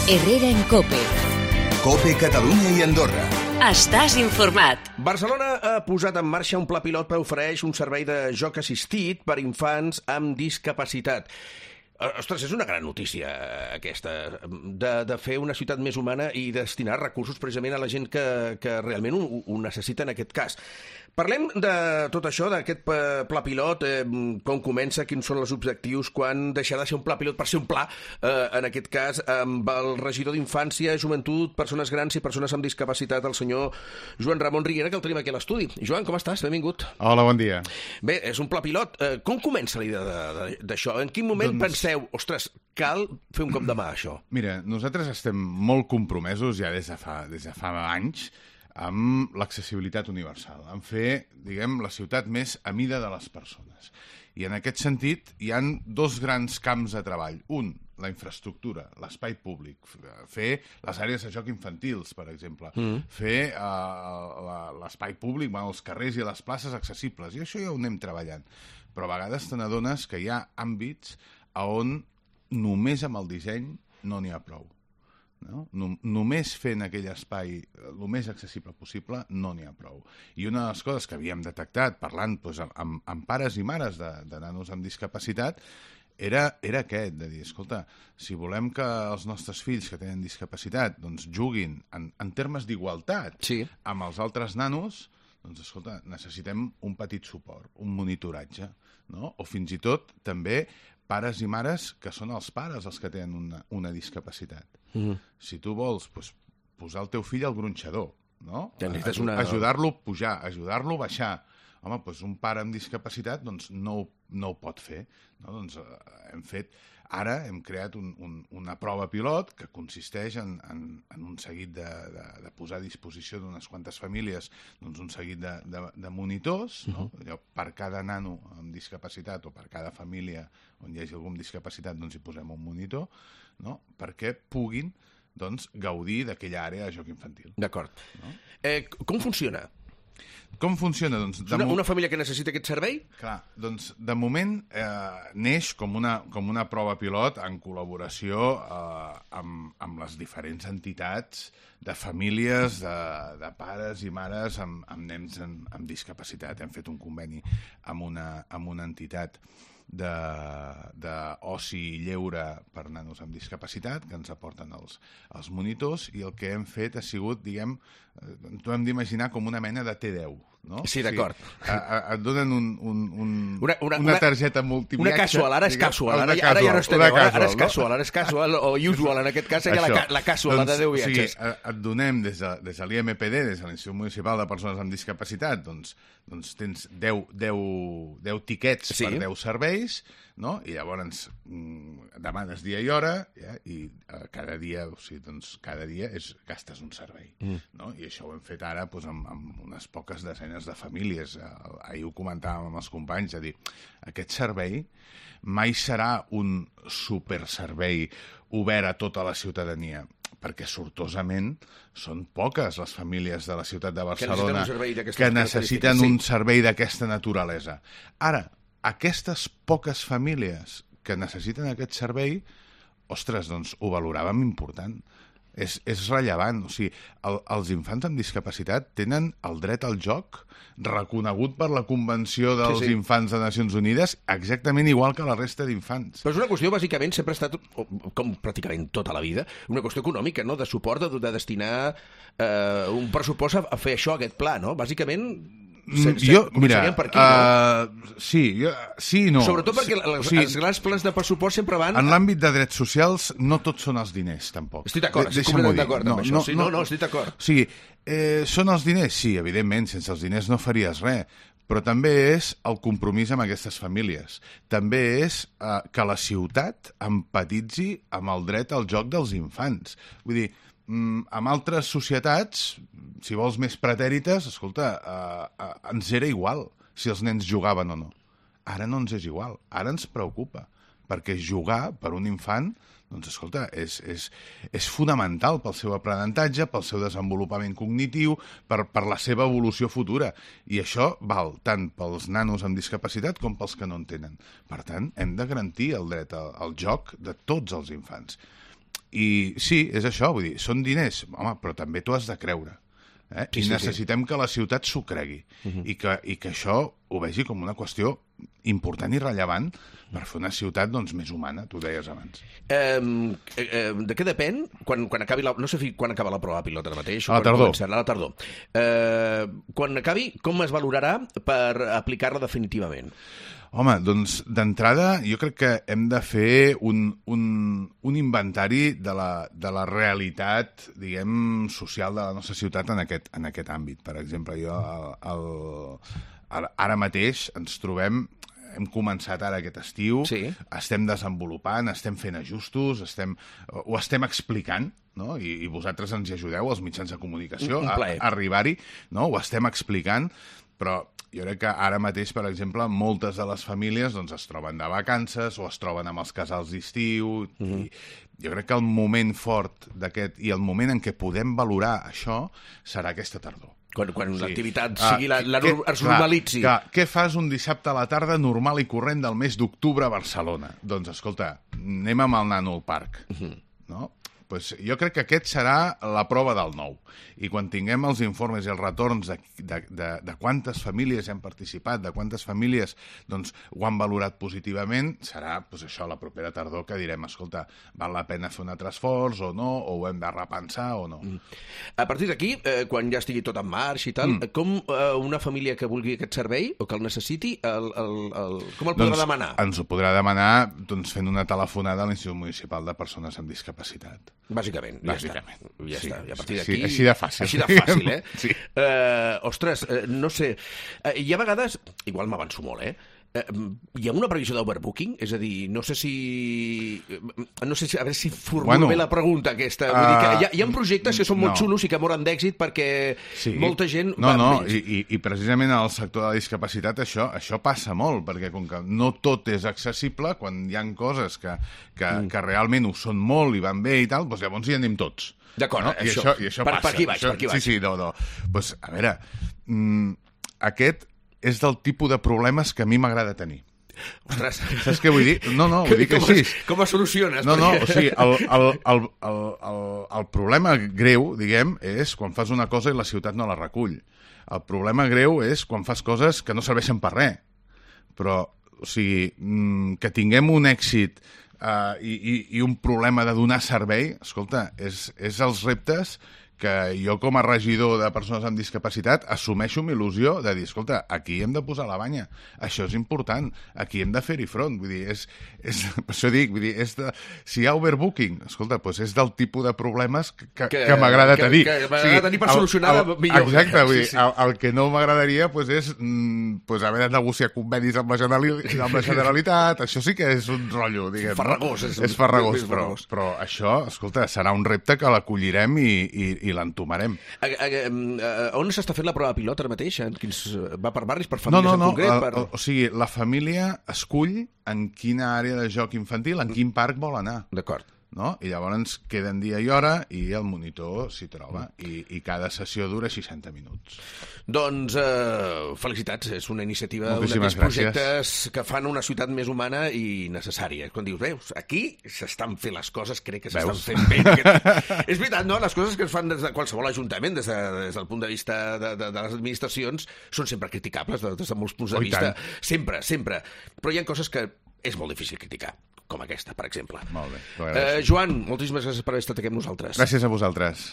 Herrera en COPE. COPE Catalunya i Andorra. Estàs informat. Barcelona ha posat en marxa un pla pilot que ofereix un servei de joc assistit per infants amb discapacitat. Ostres, és una gran notícia aquesta, de fer una ciutat més humana i destinar recursos precisament a la gent que realment ho necessita en aquest cas. Parlem de tot això, d'aquest pla pilot, com comença, quins són els objectius, quan deixarà de ser un pla pilot per ser un pla, en aquest cas, amb el regidor d'Infància, Joventut, Persones Grans i Persones amb Discapacitat, el senyor Joan Ramon Riera, que el tenim aquí a l'estudi. Joan, com estàs? Benvingut. Hola, bon dia. Bé, és un pla pilot. Com comença la idea d'això? En quin moment penseu, ostres, cal fer un cop de mà a això? Mira, nosaltres estem molt compromesos ja des de fa anys amb l'accessibilitat universal, en fer, diguem, la ciutat més a mida de les persones. I en aquest sentit hi han dos grans camps de treball. Un, la infraestructura, l'espai públic, fer les àrees de joc infantils, per exemple, fer l'espai públic, els carrers i les places accessibles, i això ja ho anem treballant. Però a vegades te n'adones que hi ha àmbits on només amb el disseny no n'hi ha prou. No? Només fent aquell espai el més accessible possible no n'hi ha prou. I una de les coses que havíem detectat parlant amb pares i mares de nanos amb discapacitat era aquest, de dir, escolta, si volem que els nostres fills que tenen discapacitat doncs, juguin en termes d'igualtat amb els altres nanos, doncs, escolta, necessitem un petit suport, un monitoratge, no? O fins i tot també pares i mares que són els pares els que tenen una discapacitat. Si tu vols posar el teu fill al gronxador, no? Ajudar-lo a pujar, ajudar-lo a baixar. Home, doncs un pare amb discapacitat no ho pot fer. No? Doncs ara hem creat una prova pilot que consisteix en un seguit de posar a disposició d'unes quantes famílies un seguit de monitors, no? Per cada nano amb discapacitat o per cada família on hi hagi algú amb discapacitat hi posem un monitor, no? Perquè puguin gaudir d'aquella àrea de joc infantil. D'acord. No? Com funciona? Com funciona? Una família que necessita aquest servei? Clar, doncs de moment neix com una prova pilot en col·laboració amb les diferents entitats de famílies, de pares i mares amb nens amb discapacitat. Hem fet un conveni amb una entitat d'oci i lleure per nanos amb discapacitat, que ens aporten els monitors, i el que hem fet ha sigut, diguem, t'ho hem d'imaginar com una mena de T10, no? Sí, d'acord. Et donen una targeta multiviatge. Una casual, ara és casual, ara ja no és T10, ara és casual, o usual, en aquest cas seria la casual, la de 10 viatges. O sigui, et donem des de l'IMPD, des de l'Institut Municipal de Persones amb Discapacitat, doncs tens 10 tiquets per 10 serveis, no? I llavors demanes dia i hora, i cada dia gastes un servei, no? I això ho hem fet ara amb unes poques desenes de famílies. Ahir ho comentàvem amb els companys, de dir, aquest servei mai serà un superservei obert a tota la ciutadania, perquè sortosament són poques les famílies de la ciutat de Barcelona que necessiten un servei d'aquesta naturalesa. Ara, aquestes poques famílies que necessiten aquest servei, ostres, doncs ho valoràvem important. És rellevant. O sigui, els infants amb discapacitat tenen el dret al joc reconegut per la Convenció dels Infants de Nacions Unides exactament igual que la resta d'infants. Però és una qüestió, bàsicament, sempre ha estat, com pràcticament tota la vida, una qüestió econòmica, no? De suport, de destinar un pressupost a fer això, aquest pla, no? Bàsicament... Mira, per aquí, no? sí i no. Sobretot perquè els grans plans de pressupost sempre van... En l'àmbit de drets socials no tots són els diners, tampoc. Estic d'acord, estic completament d'acord amb això. No, estic d'acord. O sigui, són els diners? Sí, evidentment, sense els diners no faries res. Però també és el compromís amb aquestes famílies. També és que la ciutat empatitzi amb el dret al joc dels infants. Vull dir, en altres societats, si vols més pretèrites, escolta, ens era igual si els nens jugaven o no. Ara no ens és igual, ara ens preocupa, perquè jugar per un infant, doncs escolta, és fonamental pel seu aprenentatge, pel seu desenvolupament cognitiu, per la seva evolució futura. I això val tant pels nanos amb discapacitat com pels que no en tenen. Per tant, hem de garantir el dret al joc de tots els infants. I sí, és això, vull dir, són diners, home, però també t'ho has de creure. I necessitem que la ciutat s'ho cregui i que això ho vegi com una qüestió important i rellevant per fer una ciutat més humana, tu ho deies abans. De què depèn quan acabi la... No sé quan acaba la prova pilot ara mateix. A la tardor. A la tardor. Quan acabi, com es valorarà per aplicar-la definitivament? Home, doncs d'entrada jo crec que hem de fer un inventari de la realitat, diguem, social de la nostra ciutat en aquest àmbit. Per exemple, ara mateix ens trobem, hem començat ara aquest estiu, estem desenvolupant, estem fent ajustos, ho estem explicant, no? I vosaltres ens hi ajudeu, els mitjans de comunicació, a arribar-hi, no? Ho estem explicant, però jo crec que ara mateix, per exemple, moltes de les famílies es troben de vacances o es troben amb els casals d'estiu. Jo crec que el moment fort d'aquest i el moment en què podem valorar això serà aquesta tardor. Quan l'activitat es normalitzi. Què fas un dissabte a la tarda normal i corrent del mes d'octubre a Barcelona? Doncs, escolta, anem amb el nano al parc, no? Pues jo crec que aquest serà la prova del nou. I quan tinguem els informes i els retorns de quantes famílies han participat, de quantes famílies ho han valorat positivament, serà això la propera tardor que direm, escolta, val la pena fer un altre esforç o no, o ho hem de repensar o no. A partir d'aquí, quan ja estigui tot en marxa i tal, com una família que vulgui aquest servei o que el necessiti, com el podrà demanar? Ens ho podrà demanar fent una telefonada a l'Institut Municipal de Persones amb Discapacitat. Bàsicament, ja està. I a partir d'aquí... Així de fàcil. Així de fàcil, eh? Sí. Ostres, no sé... Hi ha vegades... Igual m'avanço molt, hi ha una previsió d'overbooking? És a dir, no sé si... A veure si formulo bé la pregunta aquesta. Vull dir que hi ha projectes que són molt xulos i que moren d'èxit perquè molta gent va amb ells. I precisament al sector de la discapacitat això passa molt, perquè com que no tot és accessible, quan hi ha coses que realment ho són molt i van bé i tal, doncs llavors hi anem tots. D'acord, no? I això passa. Per aquí vaig. Sí, no. Doncs, a veure, aquest és del tipus de problemes que a mi m'agrada tenir. Ostres. Saps què vull dir? No, vull dir que així. Com es soluciones? No, o sigui, el problema greu, diguem, és quan fas una cosa i la ciutat no la recull. El problema greu és quan fas coses que no serveixen per res. Però, o sigui, que tinguem un èxit i un problema de donar servei, escolta, és els reptes que jo com a regidor de persones amb discapacitat assumeixo amb il·lusió de dir, escolta, aquí hem de posar la banya, això és important, aquí hem de fer-hi front, vull dir, per això dic, vull dir, si hi ha overbooking, escolta, doncs és del tipus de problemes que m'agrada tenir. Que m'agrada tenir per solucionar millor. Exacte, vull dir, el que no m'agradaria és haver de negociar convenis amb la Generalitat, això sí que és un rotllo, diguem. Farragós. És farragós, però això, escolta, serà un repte que l'acollirem i l'entomarem. On s'està fent la prova pilot ara mateix? Va per barris, per famílies en concret? O sigui, la família escull en quina àrea de joc infantil, en quin parc vol anar. D'acord. No? I llavors queden dia i hora i el monitor s'hi troba i cada sessió dura 60 minuts. Doncs felicitats, és una iniciativa, un d'aquests projectes que fan una ciutat més humana i necessària. Quan dius, veus, aquí s'estan fent les coses, crec que s'estan fent bé. És veritat, no? Les coses que es fan des de qualsevol ajuntament, des del punt de vista de les administracions, són sempre criticables des de molts punts de vista. Sempre. Però hi ha coses que és molt difícil criticar, com aquesta, per exemple. Molt bé. Joan, moltíssimes gràcies per haver estat aquí amb nosaltres. Gràcies a vosaltres.